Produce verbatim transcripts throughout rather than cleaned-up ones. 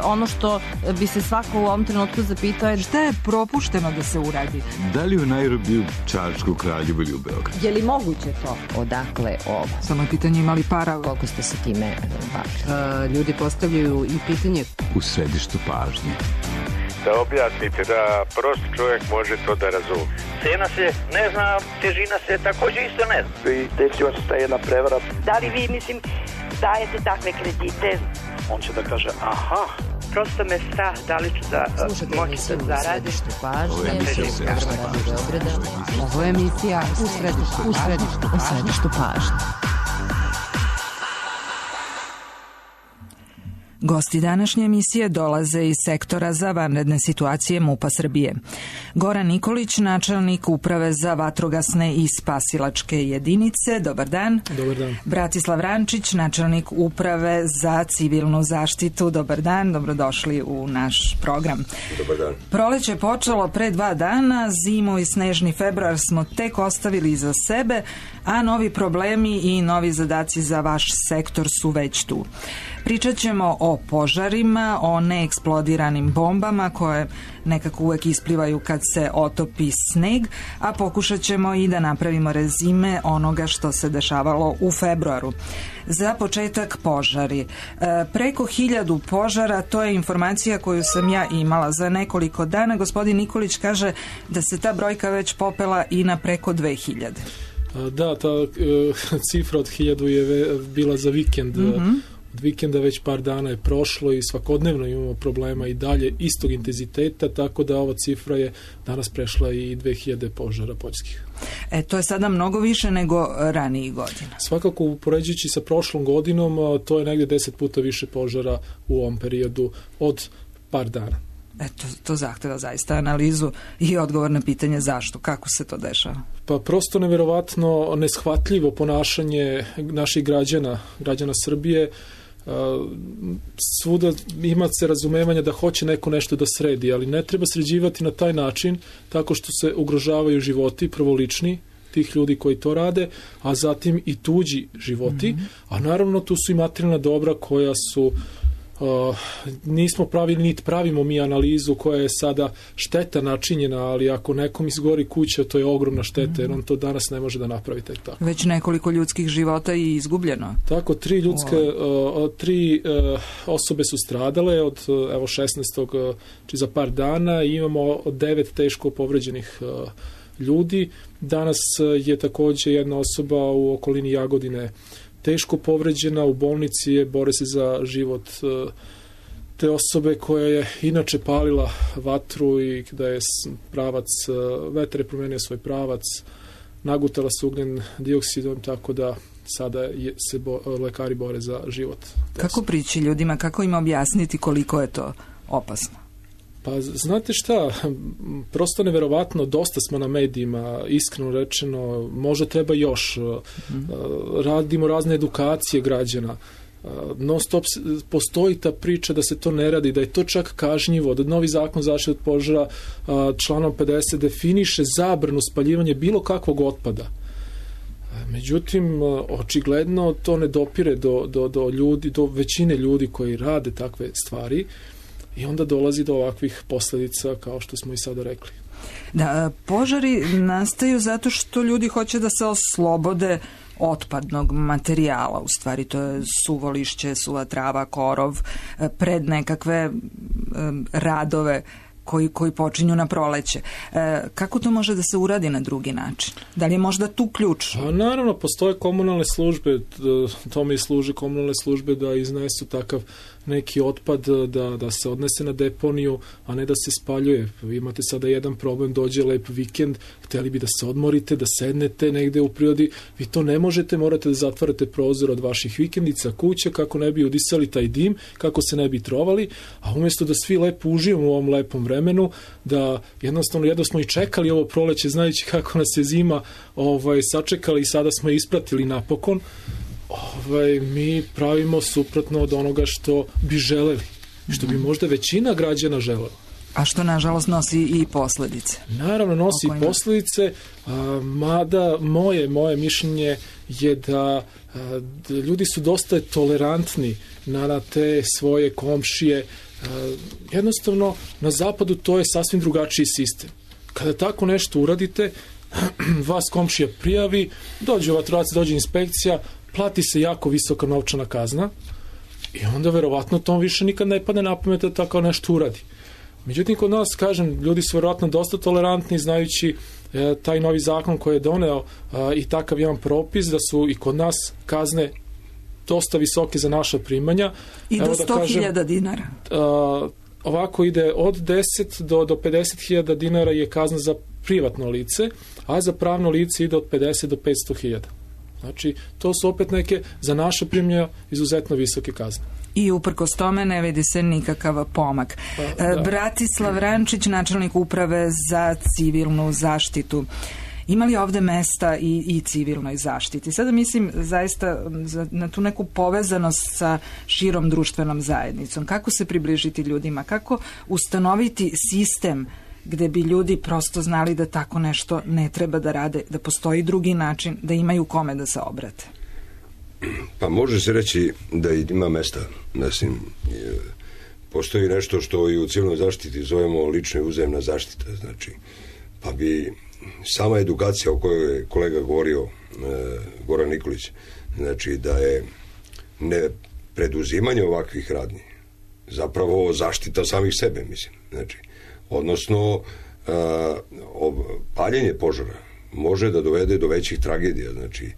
ono što bi se svako u ovom trenutku zapitao je šta je propušteno da se uradi. Da li u Nairobiju, Čačku, Kraljevu ili u Beogradu? Je li moguće to? Odakle ovo? Samo je pitanje imali para. Koliko ste se time bavili? Uh, ljudi postavljaju i pitanje u središtu pažnje. Da objasnite da prost čovjek može to da razumije. Cena se ne zna, težina se također isto ne zna. I desila se ta jedna prevara. Da li vi, mislim, dajete takve kredite? On će da kaže, aha. Prosto me strah da li ću da moći da zaradim. Ovo je emisija u središtu pažnje. Ovo je emisija u središtu, u središtu, u središtu pažnje. Gosti današnje emisije dolaze iz sektora za vanredne situacije MUP-a Srbije. Goran Nikolić, načelnik Uprave za vatrogasne i spasilačke jedinice. Dobar dan. Dobar dan. Bratislav Rančić, načelnik Uprave za civilnu zaštitu. Dobar dan, dobrodošli u naš program. Dobar dan. Proleće je počelo pre dva dana, zimu i snežni februar smo tek ostavili iza sebe, a novi problemi i novi zadaci za vaš sektor su već tu. Pričat ćemo o požarima, o neeksplodiranim bombama koje nekako uvek isplivaju kad se otopi sneg, a pokušat ćemo i da napravimo rezime onoga što se dešavalo u februaru. Za početak požari. E, preko hiljadu požara, to je informacija koju sam ja imala za nekoliko dana. Gospodin Nikolić kaže da se ta brojka već popela i na preko dve hiljade. Da, ta uh, cifra od hiljadu je bila za vikend. Mm-hmm. Od vikenda već par dana je prošlo i svakodnevno imamo problema i dalje istog intenziteta, tako da ova cifra je danas prešla i dve hiljade požara poljskih. E, to je sada mnogo više nego ranijih godina. Svakako, upoređujući sa prošlom godinom, to je negdje deset puta više požara u ovom periodu od par dana. Eto, to zahteva zaista analizu i odgovor na pitanje zašto, kako se to dešava. Pa prosto neverovatno neshvatljivo ponašanje naših građana, građana Srbije. Svuda ima se razumevanja da hoće neko nešto da sredi, ali ne treba sređivati na taj način tako što se ugrožavaju životi, prvo lični tih ljudi koji to rade, a zatim i tuđi životi, mm-hmm. a naravno tu su i materijalna dobra koja su Uh, nismo pravili, niti pravimo mi analizu koja je sada šteta načinjena, ali ako nekom izgori kuća, to je ogromna šteta, jer on to danas ne može da napravi tek tako. Već nekoliko ljudskih života i izgubljeno. Tako, tri ljudske, uh, tri uh, osobe su stradale od uh, evo šesnaestog Uh, či za par dana i imamo devet teško povređenih uh, ljudi. Danas uh, je također jedna osoba u okolini Jagodine teško povređena, u bolnici je, bore se za život te osobe koja je inače palila vatru i da je pravac, vetar je promenio svoj pravac, nagutala se ugljen dioksidom, tako da sada je, se bo, lekari bore za život. Kako prići ljudima, kako im objasniti koliko je to opasno? Pa znate šta, prosto neverovatno, dosta smo na medijima, iskreno rečeno, možda treba još, mm. radimo razne edukacije građana, non stop postoji ta priča da se to ne radi, da je to čak kažnjivo, da novi zakon zaštite od požara članom pedeset definiše zabranu spaljivanja bilo kakvog otpada. Međutim, očigledno to ne dopire do, do, do ljudi, do većine ljudi koji rade takve stvari. I onda dolazi do ovakvih posljedica, kao što smo i sada rekli. Da, požari nastaju zato što ljudi hoće da se oslobode otpadnog materijala. U stvari to je suvo lišće, suva trava, korov, pred nekakve um, radove koji, koji počinju na proleće. E, kako to može da se uradi na drugi način? Da li je možda tu ključ? A naravno, postoje komunalne službe, tome i služe komunalne službe da iznesu takav neki otpad, da, da se odnese na deponiju, a ne da se spaljuje. Vi imate sada jedan problem, dođe lep vikend, htjeli bi da se odmorite, da sednete negde u prirodi, vi to ne možete, morate da zatvarate prozor od vaših vikendica, kuća, kako ne bi udisali taj dim, kako se ne bi trovali, a umjesto da svi lepo uživamo u ovom lepom vremenu, da jednostavno, jedno smo i čekali ovo proleće, znajući kako nas je zima ovaj, sačekali i sada smo je ispratili napokon, Ovaj, mi pravimo suprotno od onoga što bi želeli, što bi možda većina građana želela. A što nažalost nosi i posljedice. Naravno nosi i posljedice, a, mada moje, moje mišljenje je da, a, da ljudi su dosta tolerantni na, na te svoje komšije jednostavno na zapadu to je sasvim drugačiji sistem. Kada tako nešto uradite, vas komšija prijavi, dođe vatrogasac, dođe inspekcija, plati se jako visoka novčana kazna i onda verovatno tom više nikad ne padne na pamet da tako nešto uradi. Međutim, kod nas, kažem, ljudi su verovatno dosta tolerantni, znajući e, taj novi zakon koji je doneo a, i takav jedan propis, da su i kod nas kazne dosta visoke za naša primanja. I do sto hiljada dinara. A, ovako ide od deset do, do pedeset hiljada dinara je kazna za privatno lice, a za pravno lice ide od pedeset do petsto hiljada. Znači, to su opet neke za naše primanja izuzetno visoke kazne. I uprkos tome ne vidi se nikakav pomak. Pa, da. Bratislav Rančić, načelnik uprave za civilnu zaštitu. Ima li ovde mesta i, i civilnoj zaštiti? Sada mislim zaista na tu neku povezanost sa širom društvenom zajednicom. Kako se približiti ljudima? Kako ustanoviti sistem gde bi ljudi prosto znali da tako nešto ne treba da rade, da postoji drugi način, da imaju kome da se obrate? Pa može se reći da ima mesta. Mislim, postoji nešto što i u civilnoj zaštiti zovemo lična i uzajamna zaštita. Znači, pa bi sama edukacija o kojoj je kolega govorio, e, Goran Nikolić, znači da je ne preduzimanje ovakvih radnji zapravo zaštita samih sebe, mislim. Znači, odnosno e, paljenje požara može da dovede do većih tragedija. Znači,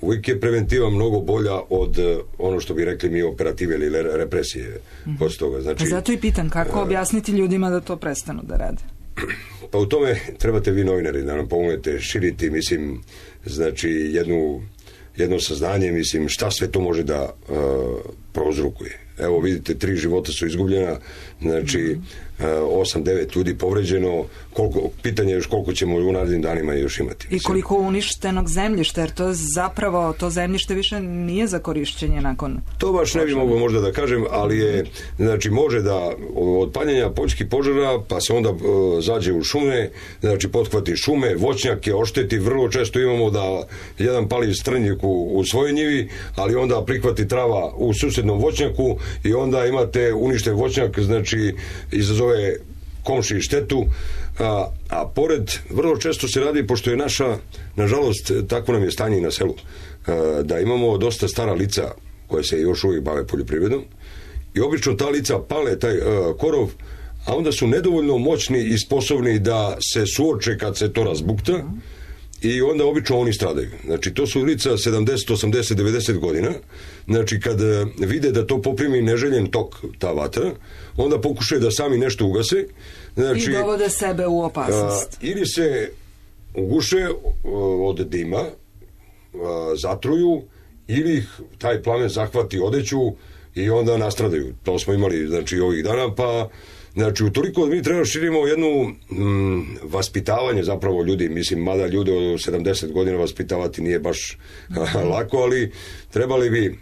uvijek je preventiva mnogo bolja od ono što bi rekli mi operative ili represije mm-hmm. posle toga. Znači, pa zato i pitam, kako objasniti ljudima da to prestanu da rade? Pa u tome trebate vi novinari da nam pomognete širiti, mislim, znači jednu, jedno saznanje, mislim, šta sve to može da uh, prouzrokuje. Evo vidite, tri života su izgubljena, znači mm-hmm. osam devet ljudi povređeno, koliko, pitanje je još koliko ćemo u narednim danima još imati. I koliko uništenog zemljišta, jer to zapravo, to zemljište više nije za korišćenje nakon... To baš ne bi mogao možda da kažem, ali je, znači može da od paljenja poljskih požara, pa se onda uh, zađe u šume, znači pothvati šume, voćnjake, ošteti, vrlo često imamo da jedan pali strnjik u, u svojoj njivi, ali onda prihvati trava u susednom voćnjaku i onda imate uništen voćnjak, znači izazove komši štetu, a, a pored vrlo često se radi, pošto je naša, nažalost, takvo nam je stanje i na selu, a, da imamo dosta stara lica koje se još uvijek bave poljoprivredom i obično ta lica pale taj a, korov, a onda su nedovoljno moćni i sposobni da se suoče kad se to razbukta i onda obično oni stradaju. Znači, to su lica sedamdeset, osamdeset, devedeset godina. Znači, kad vide da to poprimi neželjen tok, ta vatra, onda pokušaju da sami nešto ugase. Znači, i dovode sebe u opasnost. A, ili se uguše od dima, a, zatruju, ili ih taj plamen zahvati odeću i onda nastradaju. To smo imali, znači, ovih dana, pa znači, utoliko mi treba širimo jednu mm, vaspitavanje zapravo ljudi, mislim, mada ljude od sedamdeset godina vaspitavati nije baš lako, ali trebali bi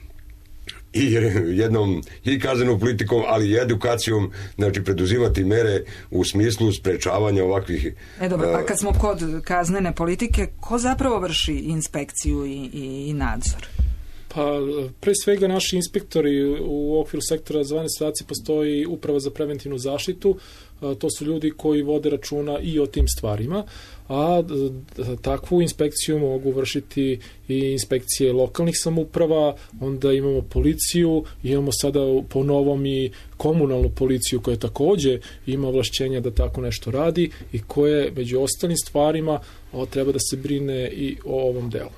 i jednom i kaznenom politikom, ali i edukacijom, znači preduzimati mere u smislu sprečavanja ovakvih... E dobro, pa kad smo kod kaznene politike, ko zapravo vrši inspekciju i, i, i nadzor? Pa, pre svega naši inspektori u okviru sektora za vanredne situacije postoji uprava za preventivnu zaštitu, to su ljudi koji vode računa i o tim stvarima, a takvu inspekciju mogu vršiti i inspekcije lokalnih samouprava, onda imamo policiju, imamo sada po novom i komunalnu policiju koja takođe ima ovlašćenja da tako nešto radi i koje među ostalim stvarima treba da se brine i o ovom delu.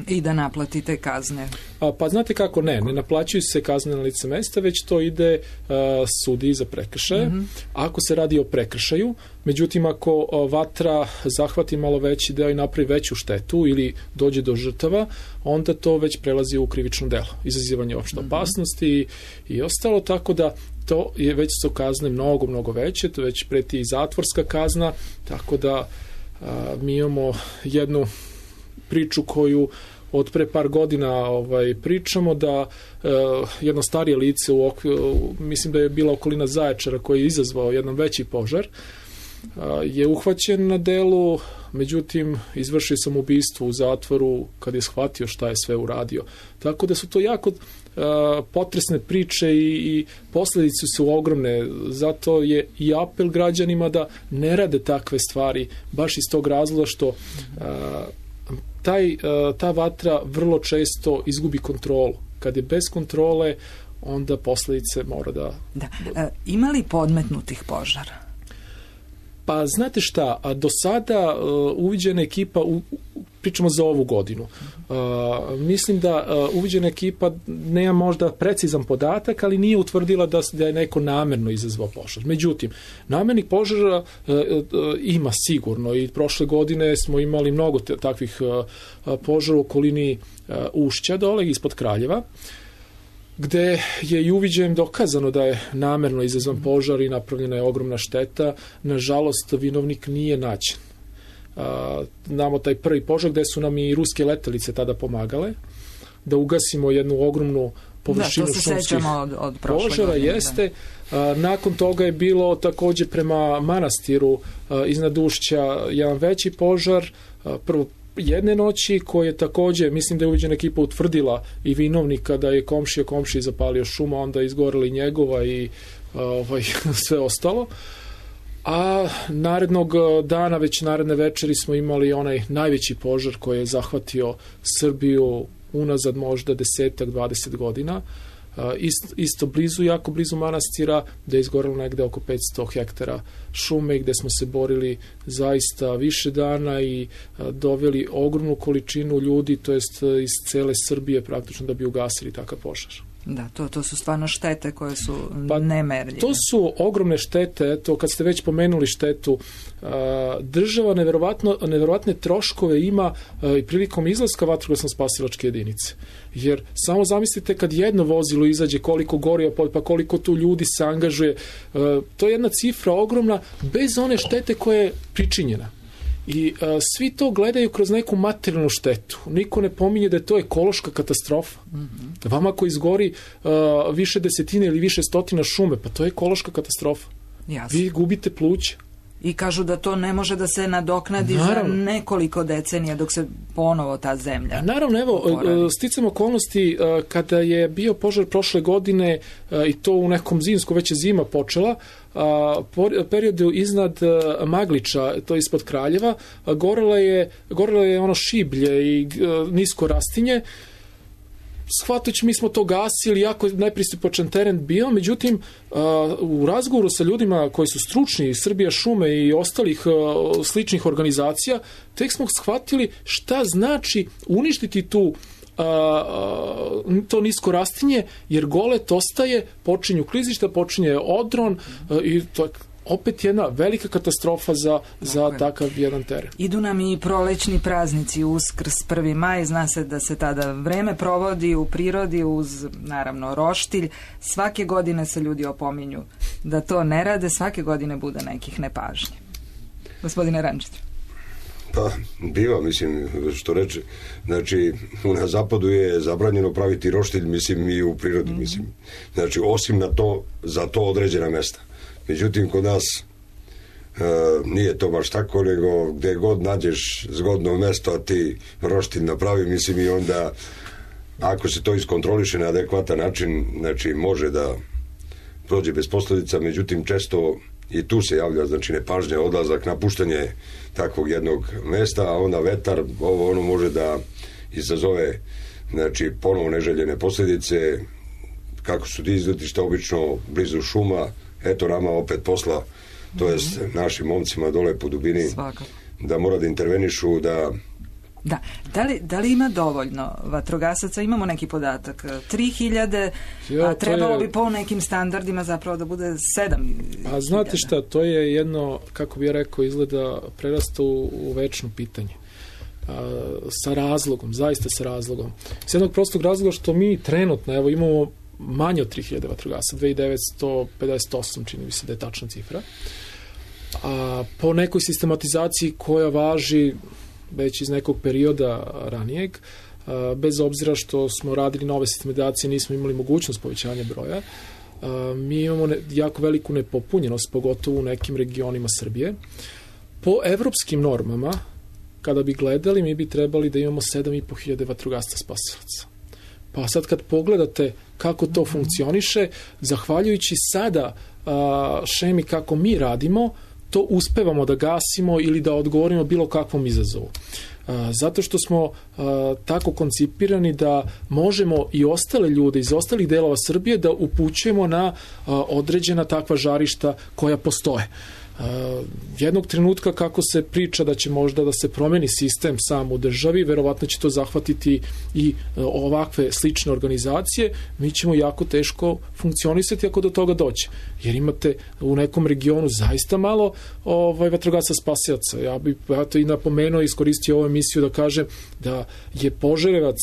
I da naplatite kazne. A, pa znate kako, ne, ne naplaćuju se kazne na lice mesta, već to ide a, sudiji za prekršaje. Mm-hmm. Ako se radi o prekršaju, međutim ako a, vatra zahvati malo veći deo i napravi veću štetu ili dođe do žrtava, onda to već prelazi u krivično delo, izazivanje opšte opasnosti i, i ostalo, tako da to je već su kazne mnogo, mnogo veće, to već preti i zatvorska kazna, tako da a, mi imamo jednu priču koju od pre par godina ovaj, pričamo da e, jedno starije lice u okviru, mislim da je bila okolina Zaječara koji je izazvao jedan veći požar, je uhvaćen na delu, međutim izvršio sam ubistvo u zatvoru kad je shvatio šta je sve uradio. Tako da su to jako potresne priče i, i posljedice su ogromne. Zato je i apel građanima da ne rade takve stvari, baš iz tog razloga što a, taj, a, ta vatra vrlo često izgubi kontrolu. Kad je bez kontrole, onda posljedice mora da... da. E, ima li podmetnutih požara? Pa znate šta, a do sada uh, uviđena ekipa, u, pričamo za ovu godinu, uh, mislim da uh, uviđena ekipa nema možda precizan podatak, ali nije utvrdila da, da je neko namerno izazvao požar. Međutim, namernih požara uh, uh, ima sigurno i prošle godine smo imali mnogo te, takvih uh, požara u okolini uh, Ušća dole ispod Kraljeva, gde je i uviđajem dokazano da je namerno izazvan požar i napravljena je ogromna šteta. Nažalost, vinovnik nije nađen. Znamo taj prvi požar gde su nam i ruske letelice tada pomagale da ugasimo jednu ogromnu površinu šumskih od, od požara. Godine, jeste. A, nakon toga je bilo također prema manastiru a, iznad Ušća jedan veći požar. A, prvo jedne noći koje je također, mislim da je uviđena ekipa utvrdila i vinovnika da je komšija komšiji zapalio šuma, onda je izgorela i njegova i ovaj, sve ostalo. A narednog dana, već naredne večeri smo imali onaj najveći požar koji je zahvatio Srbiju unazad možda desetak, dvadeset godina. Isto, isto blizu, jako blizu manastira, gde je izgorelo negde oko petsto hektara šume, gde smo se borili zaista više dana i doveli ogromnu količinu ljudi, to jest iz cele Srbije praktično da bi ugasili takav požar. Da, to, to su stvarno štete koje su pa, nemerljive. To su ogromne štete, eto, kad ste već pomenuli štetu, država neverovatno, neverovatne troškove ima i prilikom izlaska vatrogasno-spasilačke jedinice. Jer samo zamislite kad jedno vozilo izađe, koliko goriva, pa koliko tu ljudi se angažuje, to je jedna cifra ogromna, bez one štete koja je pričinjena. I a, svi to gledaju kroz neku materijalnu štetu. Niko ne pominje da je to ekološka katastrofa. Mm-hmm. Vama ako izgori a, više desetine ili više stotina šume, pa to je ekološka katastrofa. Jasno. Vi gubite pluća. I kažu da to ne može da se nadoknadi naravno. Za nekoliko decenija dok se ponovo ta zemlja. Naravno, evo, oporavi. Sticam okolnosti kada je bio požar prošle godine i to u nekom zimsku, već je zima počela, periodu iznad Magliča, to je ispod Kraljeva, gorelo je, gorelo je ono šiblje i nisko rastinje. Shvatajući, mi smo to gasili, jako nepristupačan teren bio, međutim, uh, u razgovoru sa ljudima koji su stručni, Srbija šume i ostalih uh, sličnih organizacija, tek smo shvatili šta znači uništiti tu uh, uh, to nisko rastinje, jer golet ostaje, počinju klizišta, počinje odron uh, i to opet jedna velika katastrofa za, za takav jedan teren. Idu nam i prolećni praznici, Uskrs, prvi maj, zna se da se tada vreme provodi u prirodi uz, naravno, roštilj. Svake godine se ljudi opominju da to ne rade, svake godine bude nekih nepažnje. Gospodine Rančić. Pa, biva, mislim, što reče. Znači, na zapadu je zabranjeno praviti roštilj, mislim, i u prirodi, mm-hmm. mislim. Znači, osim na to, za to određena mesta. Međutim, kod nas e, nije to baš tako, nego gde god nađeš zgodno mesto, a ti roštilj napravi, mislim, i onda ako se to iskontroliše na adekvatan način, znači može da prođe bez posljedica, međutim često i tu se javlja, znači nepažnja, odlazak, napuštanje takvog jednog mesta, a onda vetar, ovo ono može da izazove, znači, ponovo neželjene posljedice, kako su ti izletišta obično blizu šuma, eto nama opet posla, to jest našim momcima dole po dubini, svaka. Da mora da intervenišu, da... Da, da li, da li ima dovoljno vatrogasaca? Imamo neki podatak, tri hiljade, a trebalo je... bi po nekim standardima zapravo da bude sedam hiljada. A znate šta, to je jedno, kako bih rekao, izgleda prerasta u, u večno pitanje. A, sa razlogom, zaista sa razlogom. S jednog prostog razloga što mi trenutno, evo, imamo manje od tri hiljade vatrogasaca, dve hiljade devetsto pedeset osam, čini mi se da je tačna cifra. A po nekoj sistematizaciji koja važi već iz nekog perioda ranijeg, a, bez obzira što smo radili nove sistematizacije, nismo imali mogućnost povećanja broja, mi imamo ne, jako veliku nepopunjenost, pogotovo u nekim regionima Srbije. Po evropskim normama, kada bi gledali, mi bi trebali da imamo sedam i po hiljade vatrogasaca spasilaca. Pa sad kad pogledate kako to funkcioniše, zahvaljujući sada a, šemi kako mi radimo, to uspevamo da gasimo ili da odgovorimo bilo kakvom izazovu. A, zato što smo a, tako koncipirani da možemo i ostale ljude iz ostalih delova Srbije da upućujemo na a, određena takva žarišta koja postoje. Uh, jednog trenutka kako se priča da će možda da se promeni sistem sam u državi, verovatno će to zahvatiti i uh, ovakve slične organizacije, mi ćemo jako teško funkcionisati ako do toga dođe. Jer imate u nekom regionu zaista malo ovaj, vatrogasaca spasilaca. Ja bih ja to i napomenuo i iskoristio ovu emisiju da kažem da je Požarevac,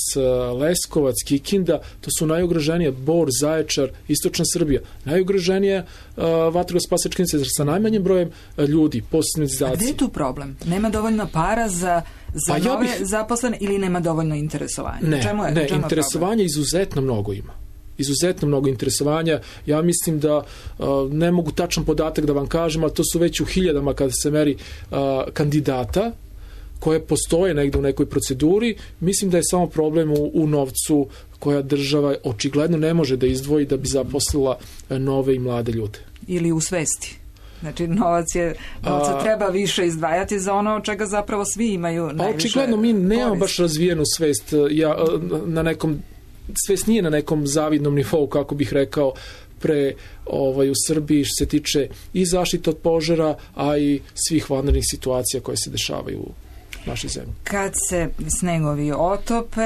Leskovac, Kikinda, to su najugroženije, Bor, Zaječar, Istočna Srbija, najugroženije uh, vatrogasne spasilačke centre sa najmanjim brojem ljudi, posebne A gde je tu problem? Nema dovoljno para za, za pa nove ja bih... zaposlene ili nema dovoljno interesovanja? Ne, čemu je, ne čemu interesovanja je izuzetno mnogo ima. Izuzetno mnogo interesovanja. Ja mislim da uh, ne mogu tačan podatak da vam kažem, ali to su već u hiljadama kada se meri uh, kandidata koje postoje negde u nekoj proceduri. Mislim da je samo problem u, u novcu koja država očigledno ne može da izdvoji da bi zaposlila nove i mlade ljude. Ili u svesti. Znači, novac je, novca treba više izdvajati za ono čega zapravo svi imaju najviše. Očigledno mi nemamo baš razvijenu svest. Ja, na nekom, svest nije na nekom zavidnom nivou, kako bih rekao, pre ovaj, u Srbiji što se tiče i zaštite od požara, a i svih vanrednih situacija koje se dešavaju u našoj zemlji. Kad se snegovi otope,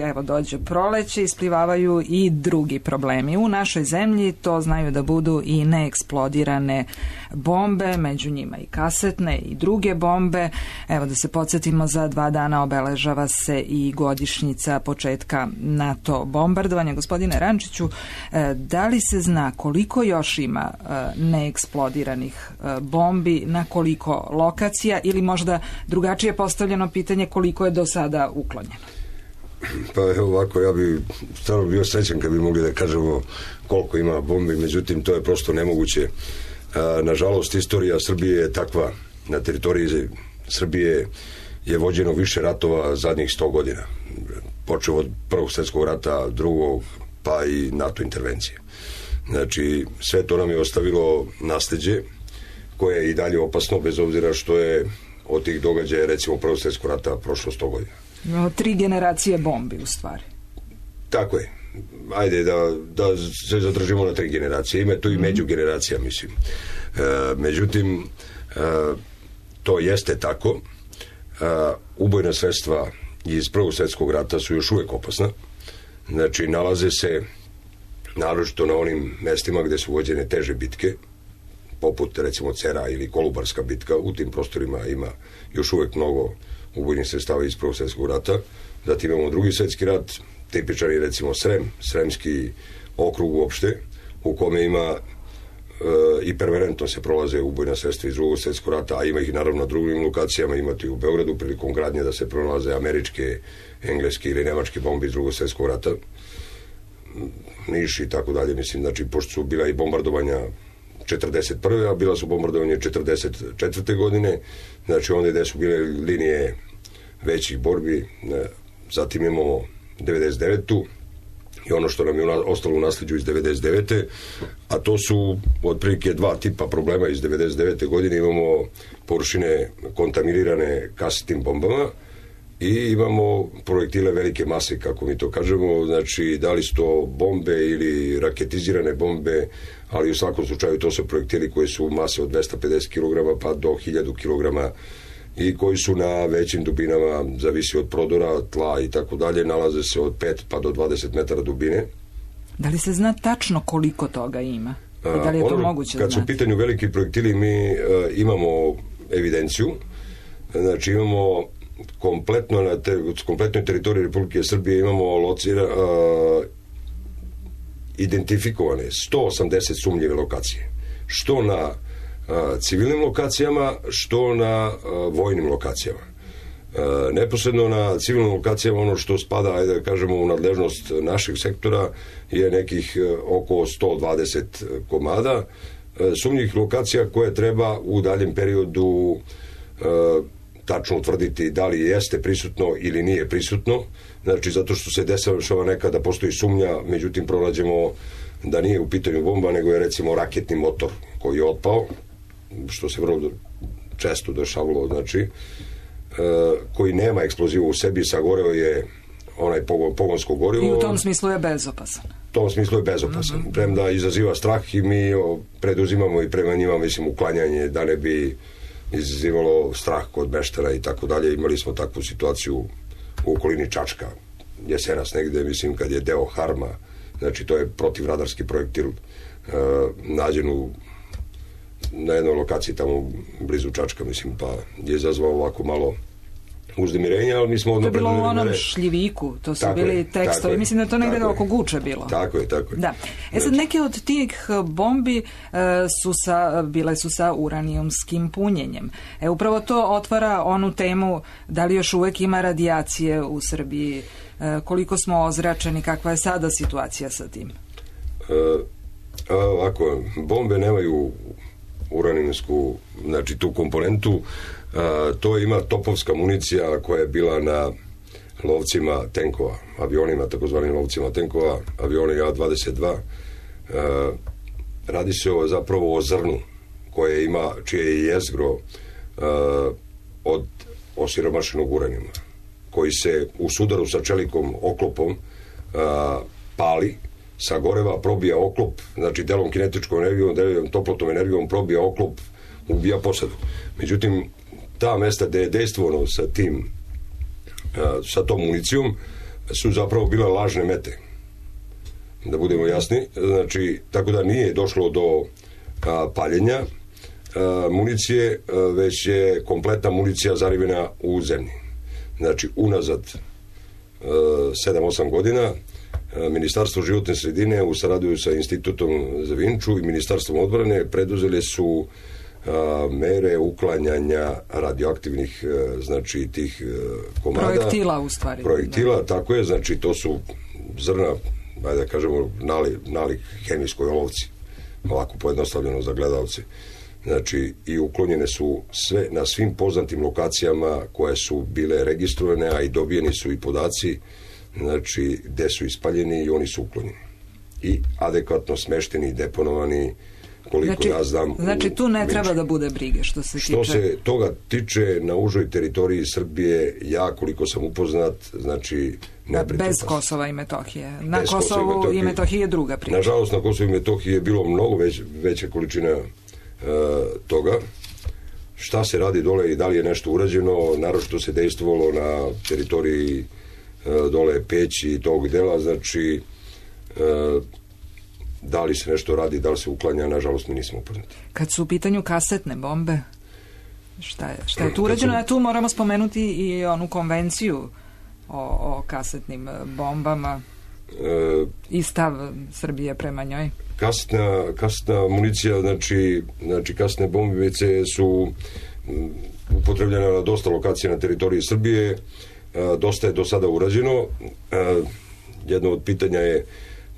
evo dođe proleće, isplivavaju i drugi problemi. U našoj zemlji to znaju da budu i neeksplodirane bombe, među njima i kasetne i druge bombe. Evo da se podsjetimo, za dva dana obeležava se i godišnjica početka NATO bombardovanja. Gospodine Rančiću, da li se zna koliko još ima neeksplodiranih bombi, na koliko lokacija, ili možda drugačije postavljeno pitanje, koliko je do sada uklonjeno? Pa evo ovako, ja bi stvarno bio srećan kad bi mogli da kažemo koliko ima bombi, međutim to je prosto nemoguće. Nažalost, istorija Srbije je takva. Na teritoriji Srbije je vođeno više ratova zadnjih sto godina. Počeo od Prvog svjetskog rata, drugog, pa i NATO intervencije. Znači, sve to nam je ostavilo nasleđe koje je i dalje opasno, bez obzira što je od tih događaja, recimo Prvog svjetskog rata, prošlo sto godina. No, tri generacije bombi, u stvari. Tako je. Ajde da, da se zadržimo na tri generacije. Ima tu i međugeneracija, mislim. E, međutim, e, to jeste tako. E, ubojna sredstva iz Prvog svjetskog rata su još uvijek opasna. Znači, nalaze se naročito na onim mestima gde su vođene teže bitke, poput recimo Cera ili Kolubarska bitka. U tim prostorima ima još uvijek mnogo ubojnih sredstava iz Prvog svjetskog rata. Zatim imamo Drugi svjetski rat, tipičan je recimo Srem, Sremski okrug uopšte, u kome ima e, i permanentno se prolaze ubojna sredstva iz Drugog svjetskog rata, a ima ih naravno na drugim lokacijama, imate i u Beogradu prilikom gradnje da se pronalaze američke, engleske ili nemačke bombe iz Drugog svjetskog rata, Niš i tako dalje, mislim, znači, pošto su bila i bombardovanja četrdeset prve a bila su bombardovanje četrdeset četvrte godine, znači onda gde su bile linije većih borbi, ne, zatim imamo devedeset devetu i ono što nam je ostalo u nasljeđu iz devedeset devete a to su otprilike dva tipa problema iz devedeset devete godine. Imamo površine kontaminirane kasetnim bombama i imamo projektile velike mase, kako mi to kažemo, znači da li su to bombe ili raketizirane bombe, ali u svakom slučaju to su projektili koji su mase od dvesta pedeset kilograma pa do hiljadu kilograma i koji su na većim dubinama, zavisi od prodora, tla i tako dalje, nalaze se od pet pa do dvadeset metara dubine. Da li se zna tačno koliko toga ima? I da li je to ono, moguće kad znati? su u pitanju veliki projektili, mi uh, imamo evidenciju, znači imamo kompletno na te, kompletnoj teritoriji Republike Srbije imamo locira, uh, identifikovane sto osamdeset sumnjive lokacije. Što na uh, civilnim lokacijama, što na uh, vojnim lokacijama. Neposredno na civilnim lokacijama ono što spada, ajde da kažemo, u nadležnost našeg sektora je nekih oko sto dvadeset komada sumnjivih lokacija koje treba u daljem periodu tačno utvrditi da li jeste prisutno ili nije prisutno. Znači, zato što se dešava nekada postoji sumnja, međutim pronađemo da nije u pitanju bomba, nego je recimo raketni motor koji je otpao, što se vrlo često dešavalo, znači, koji nema eksplozivu u sebi, sagoreo je onaj pogon, pogonsko gorivo. I u tom smislu je bezopasan. U tom smislu je bezopasan. Mm-hmm. Premda izaziva strah i mi preduzimamo i prema njima, mislim, uklanjanje da ne bi izazivalo strah kod meštara i tako dalje. Imali smo takvu situaciju u okolini Čačka, jesenas negde, mislim, kad je deo Harma, znači to je protivradarski projektil uh, nađen u, na jednoj lokaciji tamo blizu Čačka, mislim, pa je izazvao ovako malo uzdemirenja, ali mi smo odmah... To je bilo u onom šljiviku, to su tako bili je, tekstovi, mislim da je to negdje oko Guče bilo. Tako je, tako je. Da. E sad, neke od tih bombi e, su sa, bile su sa uranijumskim punjenjem. E, upravo to otvara onu temu da li još uvek ima radijacije u Srbiji, e, koliko smo ozračeni, kakva je sada situacija sa tim? E, ovako, bombe nemaju uranijumsku, znači tu komponentu. Uh, to ima topovska municija koja je bila na lovcima tenkova, avionima, takozvanim lovcima tenkova, avioni A dvadeset dva. Uh, radi se o, zapravo o zrnu koje ima, čije je jezgro uh, od osiromašenog uranijuma, koji se u sudaru sa čelikom oklopom uh, pali, sagoreva, probija oklop, znači delom kinetičkom energijom, delom toplotnom energijom probija oklop, ubija posadu. Međutim, ta mesta gde je dejstvovano sa tim, sa tom municijom, su zapravo bila lažne mete. Da budemo jasni. Znači, tako da nije došlo do a, paljenja a, municije, a, već je kompletna municija zarivena u zemlji. Znači, unazad sedam osam godina a, Ministarstvo životne sredine u saradnji sa Institutom za Vinču i Ministarstvom odbrane preduzeli su A, mere uklanjanja radioaktivnih, znači tih komada. Projektila u stvari. Projektila, da. Tako je, znači to su zrna, ajde da kažemo, nalik, nalik hemijskoj olovci, ovako pojednostavljeno za gledalce. Znači, i uklonjene su sve na svim poznatim lokacijama koje su bile registrovane, a i dobijeni su i podaci, znači, gde su ispaljeni i oni su uklonjeni. I adekvatno smešteni i deponovani. Znači, ja znam, znači tu ne treba Vinču. Da bude brige što se što tiče... se toga tiče na užoj teritoriji Srbije, ja koliko sam upoznat, znači ne bez pas. Kosova i Metohije. Na bez Kosovu i Metohije, i Metohije je druga priča. Nažalost, na Kosovu i Metohiji je bilo mnogo već, veća količina uh, toga. Šta se radi dole i da li je nešto urađeno, naročito se dejstvovalo na teritoriji uh, dole Peći i tog dela, znači uh, da li se nešto radi, da li se uklanja, nažalost mi nismo upoznati. Kad su u pitanju kasetne bombe, šta je, šta je tu urađeno? A tu moramo spomenuti i onu konvenciju o, o kasetnim bombama e, i stav Srbije prema njoj. Kasetna, kasetna municija, znači, znači kasetne bombice su upotrebljene na dosta lokacija na teritoriji Srbije, e, dosta je do sada urađeno. E, jedno od pitanja je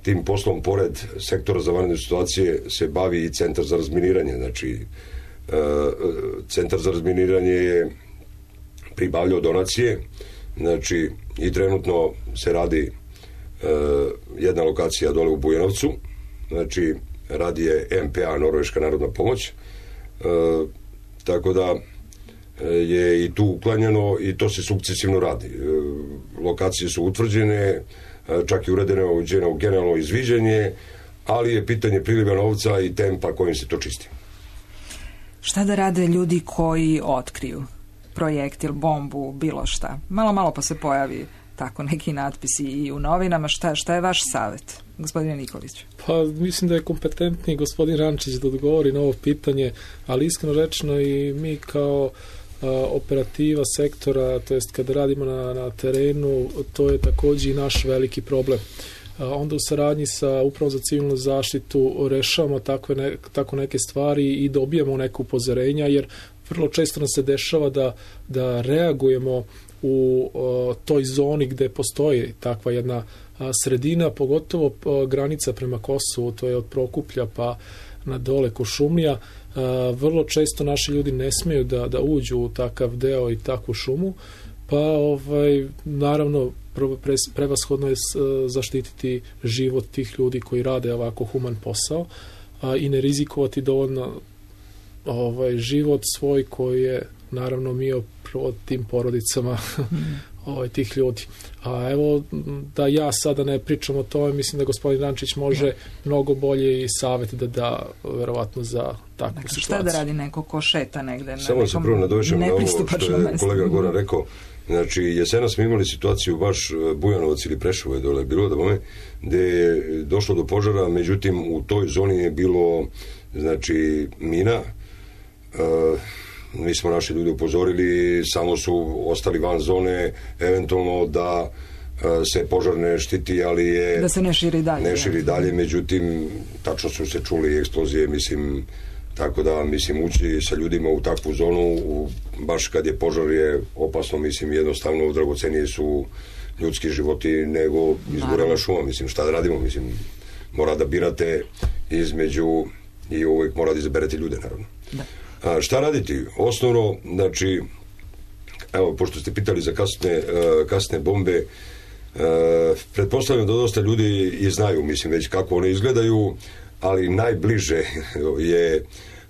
tim poslom, pored sektora za vanredne situacije, se bavi i Centar za razminiranje. Znači, e, Centar za razminiranje je pribavljao donacije, znači, i trenutno se radi e, jedna lokacija dole u Bujanovcu, znači, radi je M P A, Norveška narodna pomoć, e, tako da je i tu uklanjano i to se sukcesivno radi. E, lokacije su utvrđene, čak i uredeno generalno izviđanje, ali je pitanje priliva novca i tempa kojim se to čisti. Šta da rade ljudi koji otkriju projektil, bombu, bilo šta? Malo, malo pa se pojavi tako neki natpisi i u novinama. Šta, šta je vaš savjet, gospodine Nikolić? Pa mislim da je kompetentni gospodin Rančić da odgovori na ovo pitanje, ali iskreno rečeno i mi kao operativa sektora, to jest kada radimo na, na terenu, to je također i naš veliki problem. Onda u saradnji sa Upravom za civilnu zaštitu rešavamo takve ne, tako neke stvari i dobijamo neko upozorenja, jer vrlo često nam se dešava da, da reagujemo u o, toj zoni gde postoji takva jedna a, sredina, pogotovo a, granica prema Kosovu, to je od Prokuplja pa na dole Kuršumlija. A, vrlo često naši ljudi ne smeju da, da uđu u takav deo i takvu šumu, pa ovaj, naravno pre, prevashodno je zaštititi život tih ljudi koji rade ovako human posao, a, i ne rizikovati dovoljno ovaj, život svoj koji je naravno mio od tim porodicama ovaj, tih ljudi. A evo, da ja sada ne pričam o tome, mislim da gospodin Rančić može ja. mnogo bolje i savjet da da verovatno za takvu dakle, situaciju. Šta da radi neko ko šeta negde? Samo na se prvo nadovežem na ovo što je kolega Goran rekao. Znači, jesena smo imali situaciju baš Bujanovac ili Preševo je dole bilo da bome, gde je došlo do požara, međutim u toj zoni je bilo znači mina. Uh, mi smo naši ljudi upozorili, samo su ostali van zone, eventualno da uh, se požar ne štiti, ali je da se ne širi dalje, ne širi dalje, međutim tačno su se čuli eksplozije, mislim, tako da mislim ući sa ljudima u takvu zonu u, baš kad je požar je opasno, mislim jednostavno dragocenije su ljudski životi nego izgorela šuma, mislim šta da radimo, mislim mora da birate između i uvijek mora da izaberete ljude naravno. Da. A, šta raditi? Osnovno, znači, evo, pošto ste pitali za kasne, uh, kasne bombe, uh, pretpostavljam da dosta ljudi i znaju, mislim, već kako one izgledaju, ali najbliže je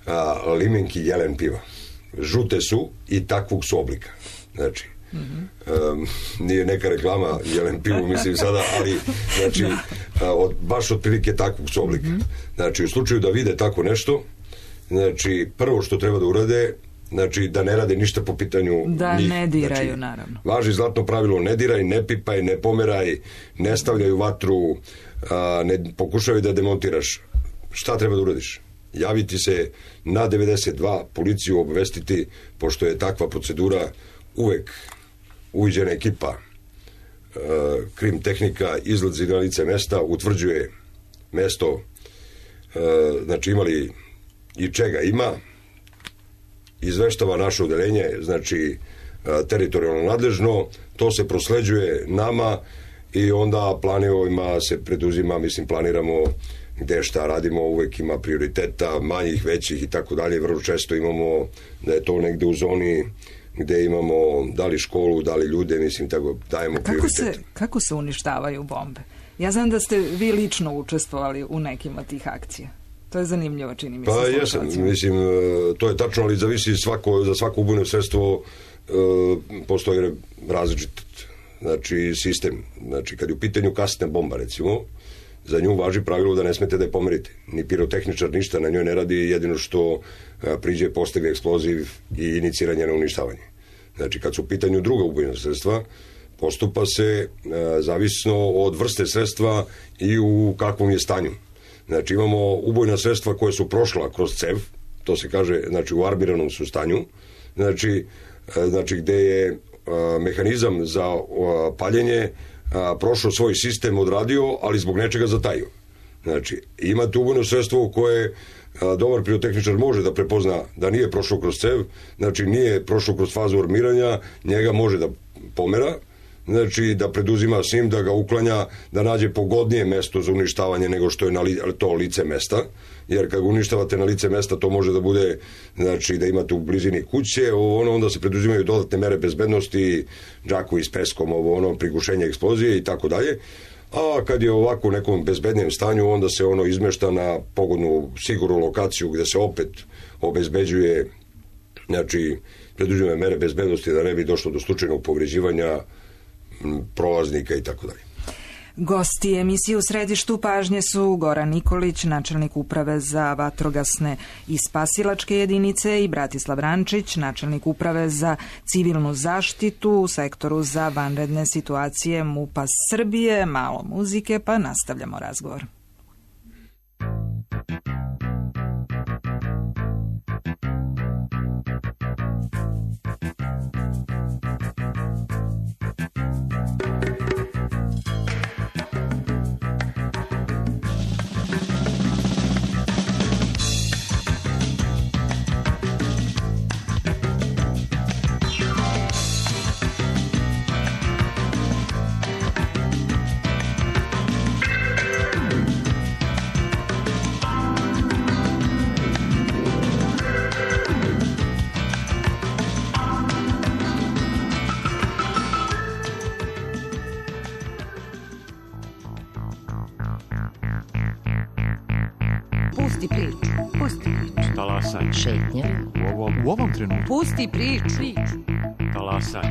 a, limenki jelen piva. Žute su i takvog su oblika. Znači, mm-hmm. um, nije neka reklama jelen pivu, mislim sada, ali znači, a, od, baš otprilike takvog su oblika. Mm-hmm. Znači, u slučaju da vide tako nešto, znači, prvo što treba da urade, znači, da ne rade ništa po pitanju da njih. Ne diraju, znači, naravno. Važi zlatno pravilo, ne diraj, ne pipaj, ne pomeraj, ne stavljaju vatru, a, ne pokušaju da demontiraš. Šta treba da uradiš? Javiti se na devedeset dva, policiju obavestiti, pošto je takva procedura uvek uviđena ekipa, e, krim tehnika izlazi na lice mesta, utvrđuje mesto, e, znači imali i čega ima, izveštava naše odeljenje, znači e, teritorijalno nadležno, to se prosleđuje nama i onda planovima se preduzima, mislim planiramo gde šta radimo, uvek ima prioriteta, manjih, većih i tako dalje. Vrlo često imamo da je to negde u zoni gde imamo da li školu, da li ljude, mislim, tako dajemo kako prioritet. Se, kako se uništavaju bombe? Ja znam da ste vi lično učestvovali u nekim od tih akcija. To je zanimljivo, čini mi se. Pa jesam, mislim, to je tačno, ali zavisi svako, za svako ubojno sredstvo uh, postoji različit znači, sistem. Znači, kad je u pitanju kasna bomba, recimo, za nju važi pravilo da ne smete da je pomerite. Ni pirotehničar ništa na njoj ne radi, jedino što a, priđe, postavi eksploziv i iniciranje na uništavanje. Znači, kad su u pitanju druga ubojna sredstva, postupa se a, zavisno od vrste sredstva i u kakvom je stanju. Znači, imamo ubojna sredstva koje su prošla kroz cev, to se kaže, znači, u armiranom su stanju, znači, a, znači gde je a, mehanizam za a, paljenje A, prošao svoj sistem, odradio, ali zbog nečega zatajio. Znači, imate ubojno sredstvo koje a, dobar pirotehničar može da prepozna da nije prošao kroz cev, znači nije prošao kroz fazu armiranja, njega može da pomera, znači da preduzima s njim, da ga uklanja, da nađe pogodnije mesto za uništavanje nego što je na li, to lice mesta, jer kad ga uništavate na lice mesta, to može da bude, znači da imate u blizini kuće, ovo ono, onda se preduzimaju dodatne mere bezbednosti, džakovi s peskom, ovo ono, prigušenje eksplozije i tako dalje. A kad je ovako u nekom bezbednijem stanju, onda se ono izmešta na pogodnu, sigurnu lokaciju gde se opet obezbeđuje, znači preduzimaju mere bezbednosti da ne bi došlo do slučajnog povređivanja prolaznika i tako dalje. Gosti emisije u središtu pažnje su Goran Nikolić, načelnik uprave za vatrogasne i spasilačke jedinice, i Bratislav Rančić, načelnik uprave za civilnu zaštitu u sektoru za vanredne situacije MUP-a Srbije. Malo muzike, pa nastavljamo razgovor. Pusti priču. Pusti priču. Talasaj. Šetnja. U ovom, u ovom trenutku. Pusti priču. Talasaj.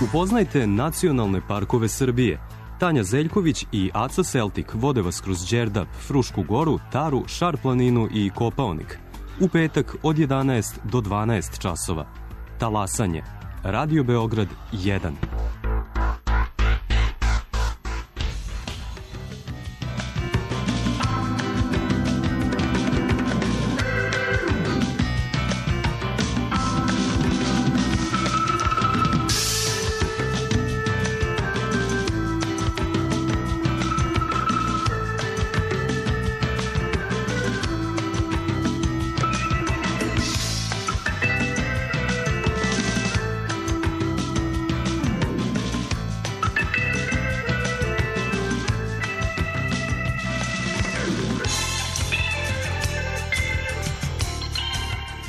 Upoznajte nacionalne parkove Srbije. Tanja Zeljković i Aca Celtic vode vas kroz Đerdap, Frušku goru, Taru, Šar planinu i Kopaonik. U petak od jedanaest do dvanaest časova. Talasanje. Radio Beograd jedan.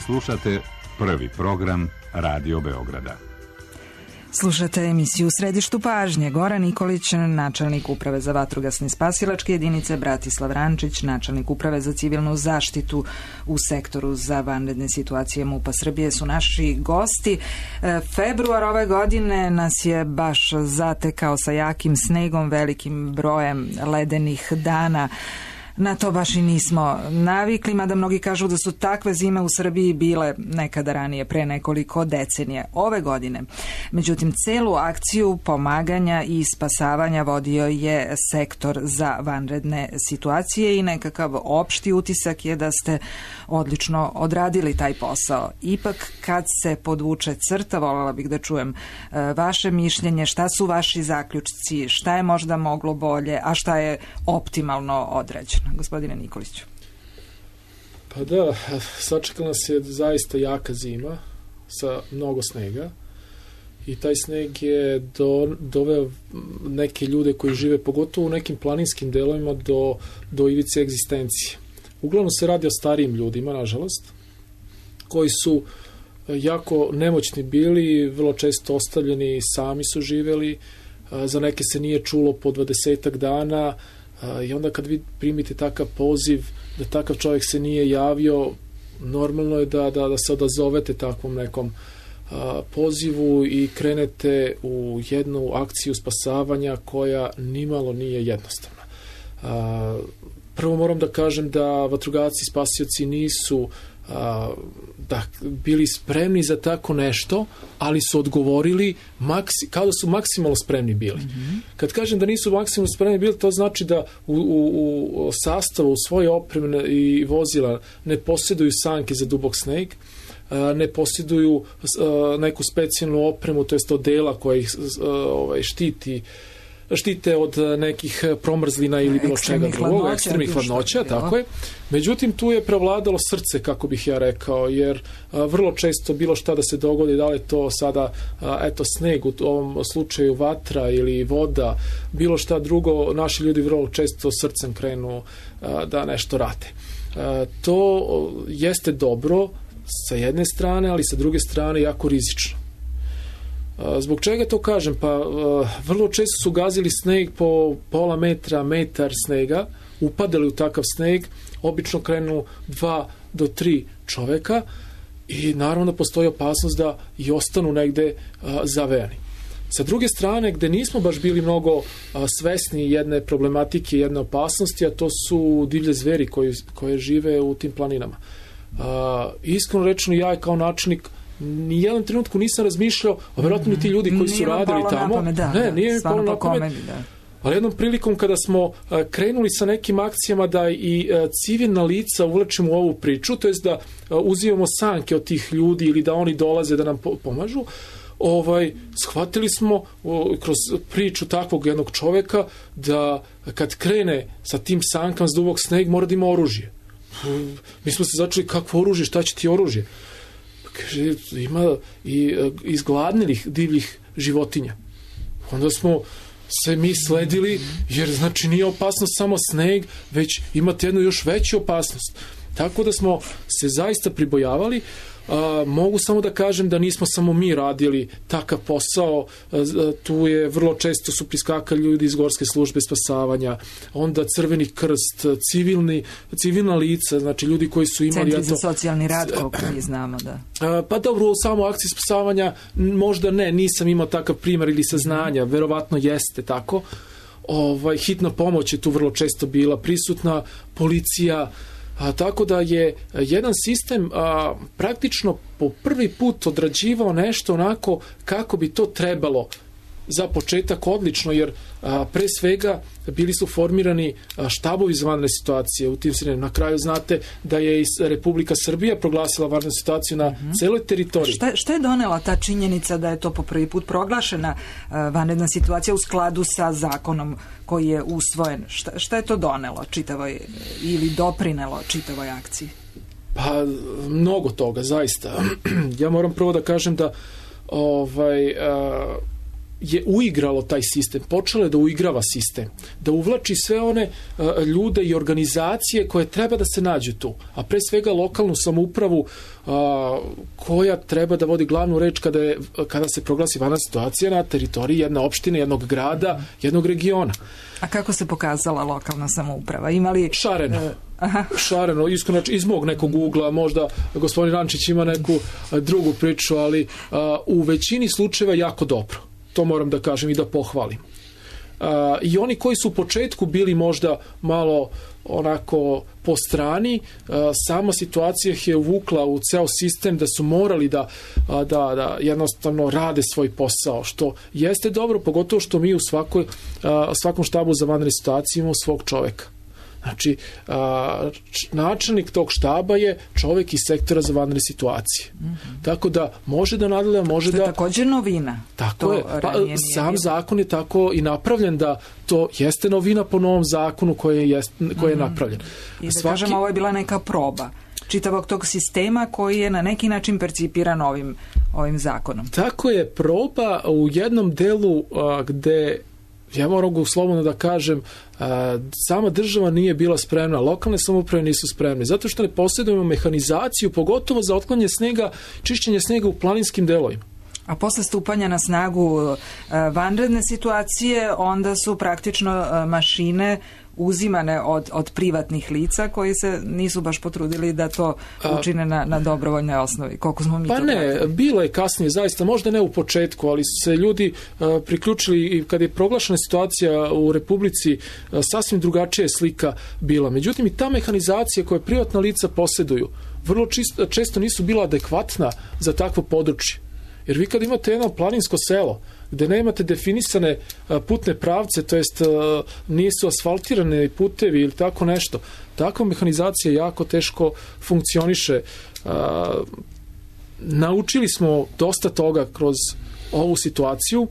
Slušate prvi program Radio Beograda. Slušate emisiju U središtu pažnje. Goran Nikolić, načelnik Uprave za vatrogasne spasilačke jedinice, Bratislav Rančić, načelnik Uprave za civilnu zaštitu u sektoru za vanredne situacije MUP-a Srbije su naši gosti. E, februar ove godine nas je baš zatekao sa jakim snegom, velikim brojem ledenih dana. Na to baš i nismo navikli, mada mnogi kažu da su takve zime u Srbiji bile nekada ranije, pre nekoliko decenije. Ove godine, međutim, celu akciju pomaganja i spasavanja vodio je sektor za vanredne situacije i nekakav opšti utisak je da ste odlično odradili taj posao. Ipak, kad se podvuče crta, voljela bih da čujem vaše mišljenje, šta su vaši zaključci, šta je možda moglo bolje, a šta je optimalno odrađeno. Gospodine Nikoliću. Pa da, sačekala nas je zaista jaka zima sa mnogo snega i taj sneg je do, doveo neke ljude koji žive, pogotovo u nekim planinskim delovima, do, do ivice egzistencije. Uglavnom se radi o starijim ljudima, nažalost, koji su jako nemoćni bili, vrlo često ostavljeni, sami su živeli, za neke se nije čulo po dvadesetak dana. I onda kad vi primite takav poziv da takav čovjek se nije javio, normalno je da, da, da se odazovete takvom nekom a, pozivu i krenete u jednu akciju spasavanja koja nimalo nije jednostavna. A, prvo moram da kažem da vatrogasci i spasioci nisu a, da bili spremni za tako nešto, ali su odgovorili maksi, kao da su maksimalno spremni bili. Mm-hmm. Kad kažem da nisu maksimalno spremni bili, to znači da u, u, u sastavu, u svoje opreme i vozila ne posjeduju sanke za dubok sneg, ne posjeduju neku specijalnu opremu, to jest odela koja ih ovaj, štiti štite od nekih promrzlina ili bilo čega drugog, ekstremnih hladnoća, tako je. Međutim, tu je prevladalo srce, kako bih ja rekao, jer a, vrlo često bilo šta da se dogodi, da li to sada, a, eto, sneg, u ovom slučaju vatra ili voda, bilo šta drugo, naši ljudi vrlo često srcem krenu a, da nešto rade. A, to jeste dobro sa jedne strane, ali sa druge strane jako rizično. Zbog čega to kažem? Pa vrlo često su gazili sneg po pola metra, metar snega, upadali u takav sneg, obično krenu dva do tri čoveka i naravno postoji opasnost da i ostanu negde zavejani. Sa druge strane, gde nismo baš bili mnogo svesni jedne problematike, jedne opasnosti, a to su divlje zveri koji, koje žive u tim planinama. Iskreno rečeno, ja kao načelnik ni jedan trenutku nisam razmišljao, a vjerojatno i ti ljudi koji su radili tamo, pamet, da, ne, nije mi palo na pamet, komedi, da. Ali jednom prilikom kada smo uh, krenuli sa nekim akcijama da i uh, civilna lica uvlačimo u ovu priču, to jest da uh, uzimamo sanke od tih ljudi ili da oni dolaze da nam po- pomažu, ovaj, shvatili smo uh, kroz priču takvog jednog čoveka da kad krene sa tim sankama s dubok sneg mora da ima oružje. Uh, mi smo se začeli, kakvo oružje, šta će ti oružje? Kaže, ima i uh, izgladnilih divljih životinja. Onda smo se mi sledili, jer znači nije opasnost samo sneg, već imate jednu još veću opasnost. Tako da smo se zaista pribojavali. Uh, mogu samo da kažem da nismo samo mi radili takav posao, uh, tu je vrlo često su priskakali ljudi iz Gorske službe spasavanja, onda Crveni krst, civilni, civilna lica, znači ljudi koji su imali... Centri za socijalni rad, koliko mi znamo, da. Uh, pa dobro, u samo akciji spasavanja možda ne, nisam imao takav primjer ili saznanja, verovatno jeste tako. Ovaj, hitna pomoć je tu vrlo često bila prisutna, policija. A, tako da je jedan sistem a, praktično po prvi put odrađivao nešto onako kako bi to trebalo. Za početak odlično, jer a, pre svega bili su formirani a, štabovi za vanredne situacije u tim sredinama. Na kraju znate da je i Republika Srbija proglasila vanrednu situaciju na mm-hmm. celoj teritoriji. Šta, šta je donela ta činjenica da je to po prvi put proglašena a, vanredna situacija u skladu sa zakonom koji je usvojen? Šta, šta je to donelo čitavoj ili doprinelo čitavoj akciji? Pa, mnogo toga, zaista. Ja moram prvo da kažem da ovaj... A, je uigralo taj sistem, počelo je da uigrava sistem, da uvlači sve one uh, ljude i organizacije koje treba da se nađu tu, a pre svega lokalnu samoupravu uh, koja treba da vodi glavnu reč kada, je, kada se proglasi vanredna situacija na teritoriji jedne opštine, jednog grada, jednog regiona. A kako se pokazala lokalna samouprava? Imali... Šareno. Uh, aha. Šareno, iskreno, iz mog nekog ugla, možda gospodin Rančić ima neku uh, drugu priču, ali uh, u većini slučajeva jako dobro. To moram da kažem i da pohvalim. Uh, I oni koji su u početku bili možda malo onako po strani, uh, sama situacija ih je uvukla u ceo sistem da su morali da, uh, da, da jednostavno rade svoj posao, što jeste dobro, pogotovo što mi u svakoj, uh, svakom štabu za vanredne situacije imamo svog čoveka. Znači, a, načelnik tog štaba je čovjek iz sektora za vanredne situacije. Mm-hmm. Tako da može da nadgleda, može što da... je također novina. Tako to je. Pa, sam zakon je tako i napravljen da to jeste novina po novom zakonu koji je, koji je mm-hmm. napravljen. I da Svaki... kažemo, ovo je bila neka proba čitavog tog sistema koji je na neki način percipiran ovim, ovim zakonom. Tako je, proba u jednom delu a, gde... Ja moram slobodno da kažem, a, sama država nije bila spremna, lokalne samouprave nisu spremne, zato što ne posjedujemo mehanizaciju, pogotovo za otklanjanje snega, čišćenje snega u planinskim delovima. A posle stupanja na snagu a, vanredne situacije, onda su praktično a, mašine uzimane od, od privatnih lica koji se nisu baš potrudili da to učine na, na dobrovoljnoj osnovi. Koliko smo mi pa to ne, pratili? Bilo je kasnije, zaista, možda ne u početku, ali su se ljudi uh, priključili i kad je proglašena situacija u Republici, uh, sasvim drugačija je slika bila. Međutim, i ta mehanizacija koje privatna lica posjeduju, vrlo čisto, često nisu bila adekvatna za takvo područje. Jer vi kad imate jedno planinsko selo, gde nemate definisane putne pravce, to jest nisu asfaltirane putevi ili tako nešto, takva mehanizacija jako teško funkcioniše. Naučili smo dosta toga kroz ovu situaciju.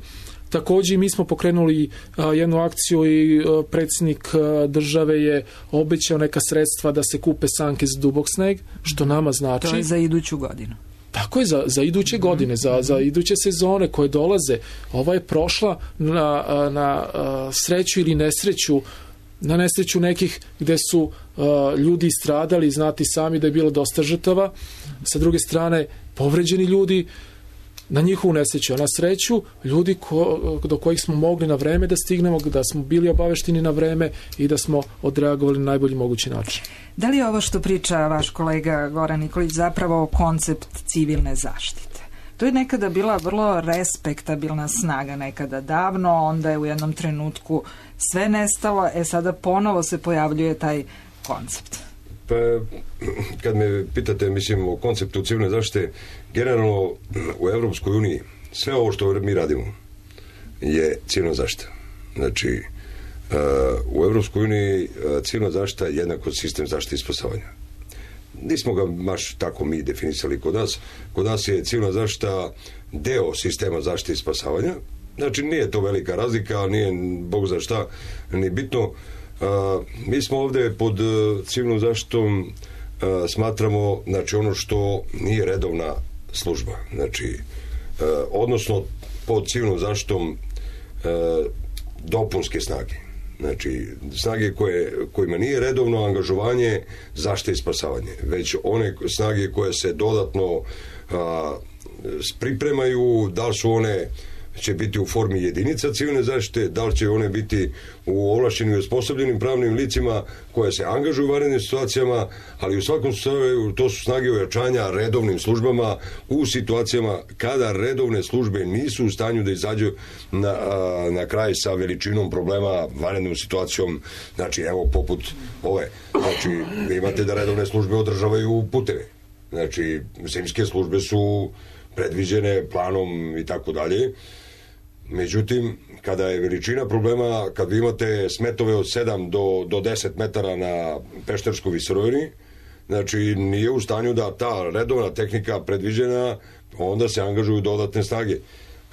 Također mi smo pokrenuli jednu akciju i predsjednik države je obećao neka sredstva da se kupe sanke za dubok sneg, što nama znači... To je za iduću godinu. Tako je, za, za iduće godine, za, za iduće sezone koje dolaze. Ova je prošla na, na sreću ili nesreću, na nesreću nekih gde su uh, ljudi stradali, znati sami da je bilo dosta žrtava. Sa druge strane, povređeni ljudi na njihovu nesreću, a na sreću ljudi ko, do kojih smo mogli na vreme da stignemo, da smo bili obavešteni na vreme i da smo odreagovali na najbolji mogući način. Da li je ovo što priča vaš kolega Goran Nikolić zapravo koncept civilne zaštite? To je nekada bila vrlo respektabilna snaga, nekada davno, onda je u jednom trenutku sve nestalo, e sada ponovo se pojavljuje taj koncept. Pa, kad me pitate, mislim, o konceptu civilne zaštite, generalno u Evropskoj uniji sve ovo što mi radimo je civilna zaštita. Znači, u Evropskoj uniji civilna zaštita je jednako sistem zaštite i spasavanja. Nismo ga baš tako mi definisali kod nas. Kod nas je civilna zaštita deo sistema zaštite i spasavanja. Znači, nije to velika razlika, nije Bog za šta, ni bitno. Uh, mi smo ovdje pod uh, civilnom zaštitom uh, smatramo, znači, ono što nije redovna služba, znači uh, odnosno pod civilnom zaštitom uh, dopunske snage. Znači, snage koje, kojima nije redovno angažovanje zaštite i spasavanje, već one snage koje se dodatno a, pripremaju, da li su one će biti u formi jedinica civilne zaštite, da li će one biti u ovlašćenim i osposobljenim pravnim licima koje se angažuju u vanrednim situacijama, ali u svakom slučaju to su snage ojačanja redovnim službama u situacijama kada redovne službe nisu u stanju da izađu na, na kraj sa veličinom problema, vanrednom situacijom, znači evo poput ove, znači imate da redovne službe održavaju puteve, znači zimske službe su predviđene planom i tako dalje. Međutim, kada je veličina problema, kad vi imate smetove od sedam do, do deset metara na Pešterskoj visoravni, znači nije u stanju da ta redovna tehnika predviđena, onda se angažuju dodatne snage.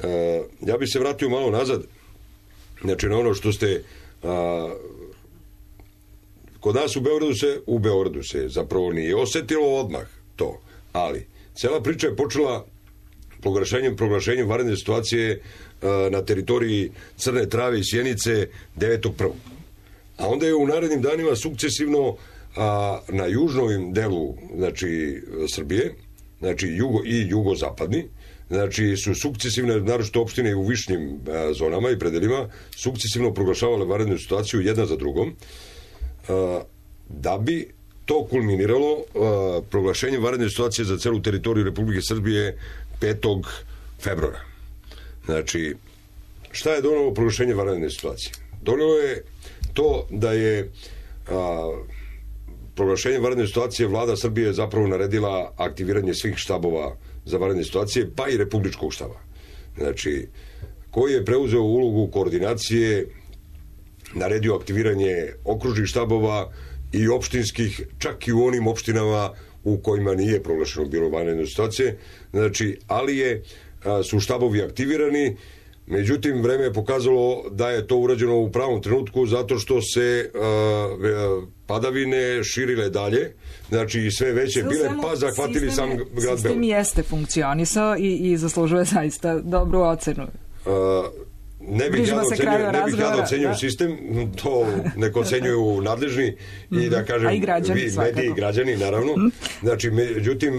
E, ja bih se vratio malo nazad, znači na ono što ste a, kod nas u Beogradu se, u Beogradu se zapravo nije osetilo odmah to, ali cela priča je počela proglašenjem, proglašenjem vanredne situacije na teritoriji Crne Trave i Sjenice devetog prvog A onda je u narednim danima sukcesivno a, na južnom delu, znači, Srbije, znači jugo i jugozapadni, znači su sukcesivne, naročito opštine u višnim a, zonama i predelima, sukcesivno proglašavale vanrednu situaciju jedna za drugom, a, da bi to kulminiralo a, proglašenjem vanredne situacije za celu teritoriju Republike Srbije petog februara Znači, šta je donelo proglašenje vanredne situacije? Donelo je to da je a, proglašenje vanredne situacije vlada Srbije zapravo naredila aktiviranje svih štabova za vanredne situacije, pa i republičkog štaba. Znači, koji je preuzeo ulogu koordinacije, naredio aktiviranje okružnih štabova i opštinskih, čak i u onim opštinama u kojima nije proglašeno bilo vanredne situacije, znači, ali je su štabovi aktivirani, međutim vreme je pokazalo da je to urađeno u pravom trenutku zato što se uh, padavine širile dalje, znači sve veće sve bile, pa zahvatili sam grad Beograd. Sistem jeste funkcionisao i, i zaslužuje zaista dobru ocenu. Uh, Ne bih ja ocenio, ne bih ja ocenio sistem, to neko ocenjuju nadležni i mm-hmm. da kažem, i građani, vi, mediji i građani, naravno. Znači, međutim,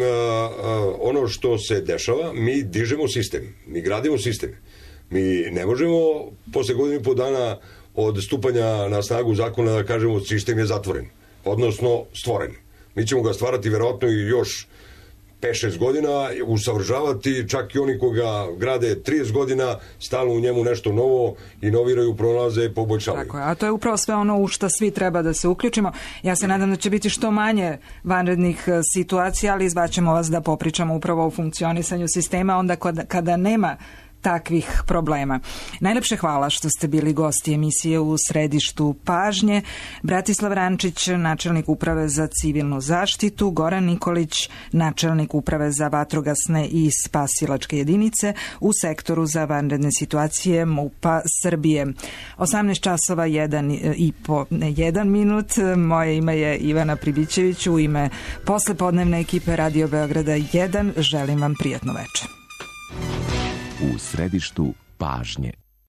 ono što se dešava, mi dižemo sistem, mi gradimo sistem. Mi ne možemo posle godinu i po dana od stupanja na snagu zakona da kažemo sistem je zatvoren, odnosno stvoren. Mi ćemo ga stvarati verovatno i još pet šest godina, usavršavati, čak i oni koga grade trideset godina, stalno u njemu nešto novo, inoviraju, pronalaze, poboljšavaju. Tako je, a to je upravo sve ono u što svi treba da se uključimo. Ja se nadam da će biti što manje vanrednih situacija, ali izbaćemo vas da popričamo upravo o funkcionisanju sistema onda kada, kada nema takvih problema. Najlepše hvala što ste bili gosti emisije U središtu pažnje. Bratislav Rančić, načelnik uprave za civilnu zaštitu, Goran Nikolić, načelnik uprave za vatrogasne i spasilačke jedinice u sektoru za vanredne situacije MUP-a Srbije. osamnaest časova jedan i po jedan minut. Moje ime je Ivana Pribićević. U ime poslepodnevne ekipe Radio Beograda jedan želim vam prijatno večer. U središtu pažnje.